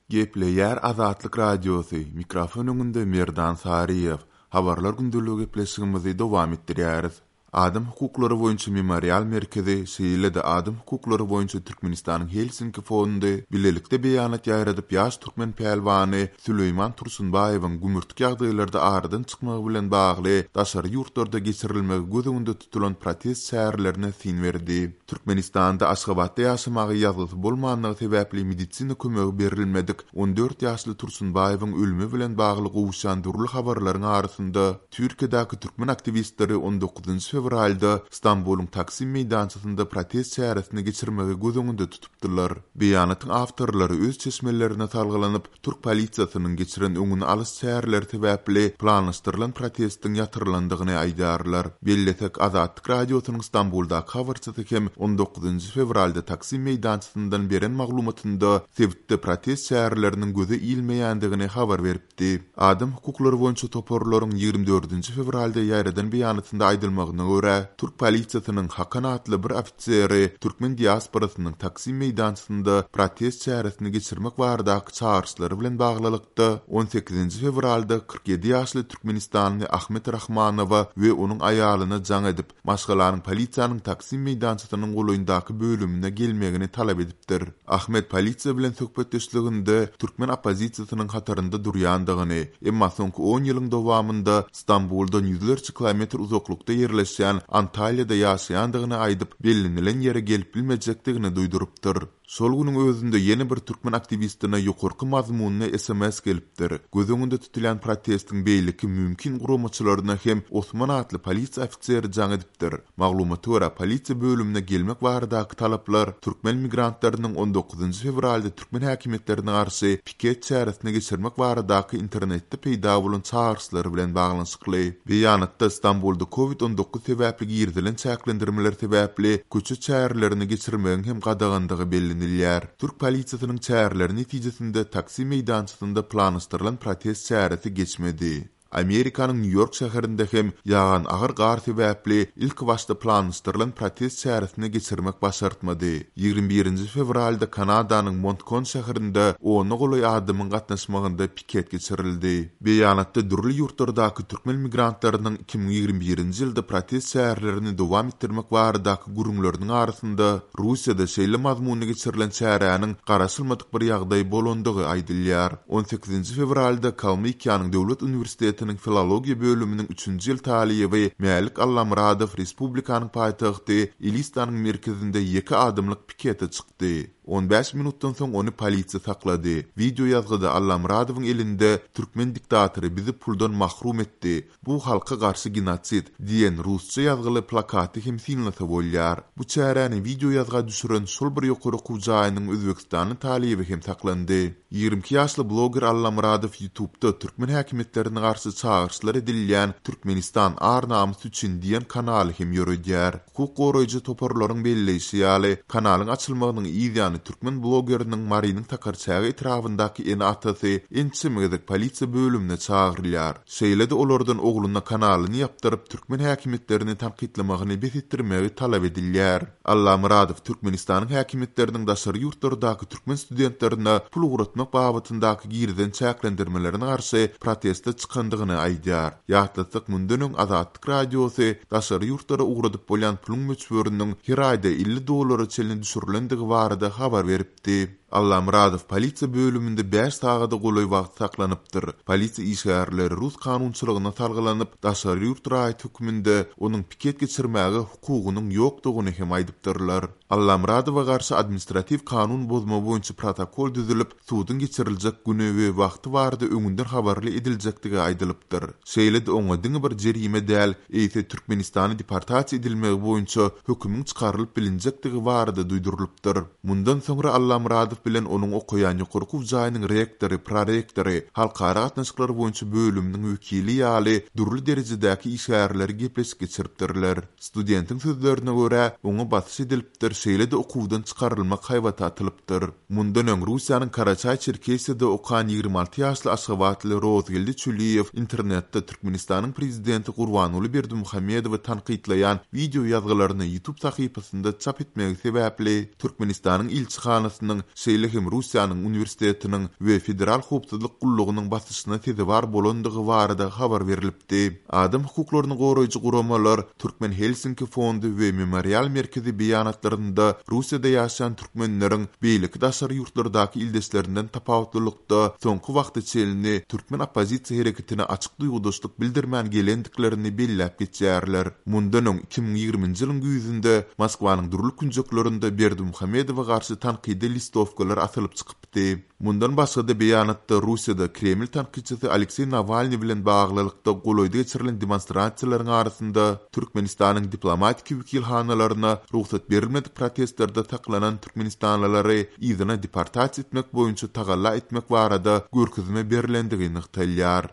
Gepleýär Azatlyk Radiosy, mikrofon öňünde Merdan Saryýew. Habarlar gündeligi gepleşigimizi dowam etdirýäris. Adam hukuklary boýunça Memorial merkezi, şeýle-de Adam hukuklary boýunça Türkmenistanyň Helsinki fondy bilelikde beýanat ýaýradyp ýaş türkmen pälwany Süleýman Tursunbaýewiň gümürtik ýagdaýlarda aradan çykmagy bilen bagly daşary ýurtlarda geçirilmegi göz öňünde tutulan protest çärelerine syn berdi. Türkmenistanda Aşgabatda ýaşamaga ýazgysy bolmanlygy sebäpli medisina kömegi berilmedik 14 ýaşly Tursunbaýewiň ölümi bilen bagly gowuşýan dürli habarlaryň arasynda Türkiýedäki türkmen aktiwistleri on dokuzynjy fewralda Stambulyň Taksim meýdançasynda protest çäresini geçirmegi göz öňünde tutupdylar. Beýanatyň awtorlary öz çeşmelerine salgylanyp, Türk polisiýasynyň geçiren öňüni alyş çäreleri sebäpli planlaşdyrylan protestiň ýatyrylandygyny aýdýarlar. Bellesek, Azatlyk Radiosynyň Stambuldaky habarçysy hem on dokuzynjy fewralda Taksim meýdançasyndan beren maglumatynda sebitde protest çäreleriniň göze ilmeýändigini habar beripdi. Adam hukuklary boýunça toparlaryň 24-nji fewralda ýaýradan beýanatynda aýdylmagyna görä, türk polisiýasynyň Hakan atly bir ofiseri türkmen diasporasynyň Taksim meýdançasynda protest çäresini geçirmek baradaky çagyryşlary bilen baglylykda, on sekizinji fewralda 47 ýaşly türkmenistanly Ahmet Rahmanowa we onuň aýalyna jaň edip, maşgalanyň polisiýanyň Taksim meýdançasynyň golaýyndaky bölümine gelmegini talap edipdir. Ahmet polisiýa bilen söhbetdeşliginde türkmen oppozisiýasynyň hatarynda durýandygyny, emma soňky on ýylyň dowamynda Stambuldan ýüzlerçe kilometr uzaklykda ýerleşýän Antalýada ýaşaýandygyny aýdyp, bellenilen ýere gelip bilmejekdigini duýdurypdyr. Şol günüň özünde ýene bir türkmen aktiwistine ýokarky mazmunly sms gelipdir. Göz öňünde tutulýan protestiň beýleki mümkin guramaçylaryna hem Osman atly polisiýa ofiseri jaň edipdir. Maglumata görä, polisiýa bölümine gelmek baradaky talaplar türkmen migrantlarynyň on dokuzynjy fewralda türkmen häkimiýetlerine garşy piket çäresini geçirmek baradaky internetde peýda bolan çagyryşlary bilen baglanyşykly. Beýanatda Stambulda Covid 19 sebäpli girizilen çäklendirmeler sebäpli köçe çärelerini geçirmegiň hem gadagandygy bellenilýär. Türk polisiýasynyň çäreleri netijesinde Taksim meýdançasynda planlaşdyrylan protest çäresi geçmedi. Amerikanyň Nýu-Ýork şäherinde hem ýagan agyr gar sebäpli ilkibaşda planlaşdyrylan protest çäresini geçirmek başartmady. 21-nji fewralda Kanadanyň Montkon şäherinde ona golaý adamyň gatnaşmagynda piket geçirildi. Beýanatda dürli ýurtlardaky türkmen migrantlarynyň 2021-nji ýylda protest çärelerini dowam etdirmek baradaky gürrüňleriniň arasynda Russiýada şeýle mazmunda geçirilen çäräniň garaşylmadyk bir ýagdaý bolandygy aýdylýar. On sekizinji fewralda Kalmykiýanyň döwlet uniwersitetiniň filologiýa bölüminiň üçünji ýyl talyby Mälik Allamyradow respublikanyň paýtagty Elistanyň merkezinde ýeke adamlyk pikete çykdy. On bäş minutdan soň ony polisiýa saklady. Wideoýazgyda Allamyradowyň elinde Türkmen diktatory bizi puldan mahrum etdi, Bu halka garşy genosid diýen rusça ýazgyly plakaty hem synlasa bolýar. Bu çäräni wideoýazga düşüren şol bir ýokary okuw jaýynyň özbegistanly talyby hem saklandy. 22 ýaşly bloger Allamyradow YouTubda türkmen häkimiýetlerine garşy çagyryşlar edilýän Türkmenistan ar-namys üçin diýen kanaly hem ýöredýär. Hukuk goraýjy toparlaryň belleýşi ýaly, kanalyň açylmagynyň yz ýany türkmen blogeriniň Marynyň Sakarçäge etrabyndaky ene-atasy ençeme gezek polisiýa bölümine çagyrylýar. Şeýle-de olardan ogluna kanalyny ýapdyryp, türkmen häkimiýetlerini tankytlamagyny bes etdirmegi talap edilýär. Allamyradow Türkmenistanyň häkimiýetleriniň daşary ýurtlardaky türkmen studentlerine pul ugratmak babatyndaky girizen çäklendirmelerine garşy proteste çykandygyny aýdýar. Ýatlatsak, mundan öň Azatlyk Radiosy daşary ýurtlara ugradyp bolýan puluň möçberiniň her aýda 50 dollara çenli düşürilendigi barada habar beripdi. Allamyradow polisiýa bölüminde bäş sagada golaý wagt saklanypdyr. Polisiýa işgärleri rus kanunçylygyna salgylanyp, daşary ýurt raýaty hökmünde onuň piket geçirmäge hukugynyň ýokdugyny hem aýdypdyrlar. Allamyradowa garşy administratiw kanun bozma boýunça protokol düzülip, suduň geçiriljek güni we wagty barada öňünden habarly ediljekdigi aýdylypdyr. Şeýle-de oňa diňe bir jerime däl, eýse Türkmenistana deportasiýa edilmegi boýunça hökümiň çykarylyp bilinjekdigi barada duýdurylypdyr. Mundan soňra Allamyradow bilen onuň okaýan ýokary okuw jaýynyň rektory, prorektory, halkara gatnaşyklary boýunça bölüminiň wekili ýaly dürli derejedäki işgärleri gepleşik geçiripdirler. Studentiň sözlerine görä, oňa basyş edilipdir, şeýle-de okuwdan çykarylmak haýbaty atylypdyr. Mundan öň Russiýanyň Karaçaý-Çerkesiýada okan 26 ýaşly aşgabatly Rozgeldi Çüliýew internetde Türkmenistanyň prezidenti Gurbanguly Berdimuhamedowy tankytlaýan wideo ýazgylaryny YouTube sahypasynda çap etmegi sebäpli Türkmenistanyň ilçihanasynyň, şeýle hem Russiýanyň uniwersitetiniň we Federal howpsuzlyk gullugynyň basyşyna sezewar bolandygy barada habar berlipdi. Adam hukuklaryny goraýjy guramalar, Türkmen Helsinki fondy we Memorial merkezi beýanatlarynda Russiýada ýaşaýan türkmenleriň beýleki daşary ýurtlardaky ildeşlerinden tapawutlylykda soňky wagta çenli türkmen oppozisiýa hereketine açyk duýgudaşlyk bildirmän gelendiklerini belläp geçýärler. Mundan öň, 2020-nji ýylyň güýzünde Moskwanyň dürli künjeklerinde Berdimuhamedowa garşy tankydy listowkalar asylyp çykypdy. Mundan başga-da beýanatda Russiýada Kreml tankytçysy Alekseý Nawalnyý bilen baglylykda golaýda geçirilen demonstrasiýalaryň arasynda Türkmenistanyň diplomatiki wekilhanalaryna rugsat berilmedik protestlerde saklanan türkmenistanlylary yzyna deportasiýa etmek boýunça tagalla etmek barada görkezme berlendigi nygtalýar.